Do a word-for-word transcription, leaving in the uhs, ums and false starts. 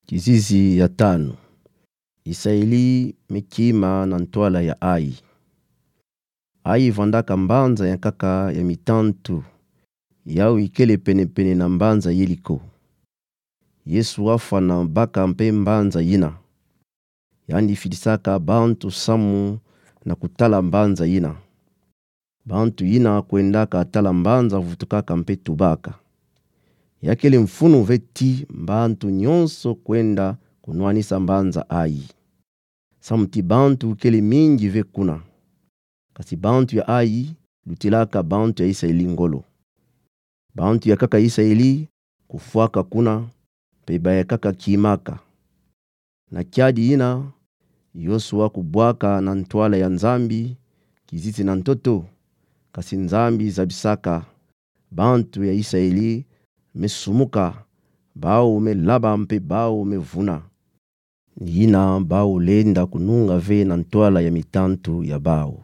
Kizizi ya tanu. Isaeli me kima na ntwala ya Ai. Ai vandaka mbanza ya nkaka ya mitantu, yau ikele penepene na mbanza Yeriko. Yesu afana baka mpe mbanza yina. Yandi fidisaka bantu samu na kutala mbanza yina. Bantu yina kwendaka tala mbanza vutukaka mpe tubaka. Ya kele mfunu ve ti bantu nyonso kwenda kunwanisa mbanza Ai. Samu ti bantu kele mingi ve kuna. Kasi bantu ya Ai lutilaka bantu ya Isaeli ngolo. Bantu ya nkaka Isaeli kufwaka kuna, mpe ba ya nkaka kimaka. Na kiadi yina, Yosua kubwaka na ntwala ya Nzambi, kizizi na ntoto, kasi Nzambi zabisaka bantu ya Isaeli me sumuka, bau me laba mpe bau me vuna. Ni yina bau lenda kununga ve na ntwala ya mitantu ya bau.